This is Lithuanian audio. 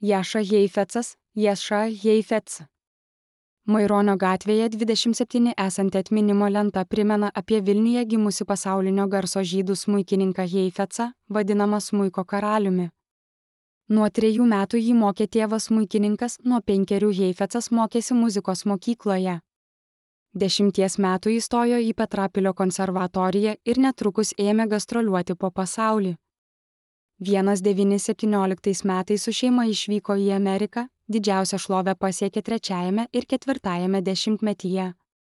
Jaša Heifecas, Jaša Heifets. Maironio gatvėje 27 esanti atminimo lenta primena apie Vilniuje gimusi pasaulinio garso žydų smuikininką Heifecą, vadinamą smuiko karaliumi. Nuo 3 metų jį mokė tėvas smuikininkas, nuo 5 Heifecas mokėsi muzikos mokykloje. 10 metų įstojo į Petrapilio konservatoriją ir netrukus ėmė gastroliuoti po pasaulį. 1917 metais su šeima išvyko į Ameriką, didžiausią šlovę pasiekė 3. ir 4. dešimtmetyje.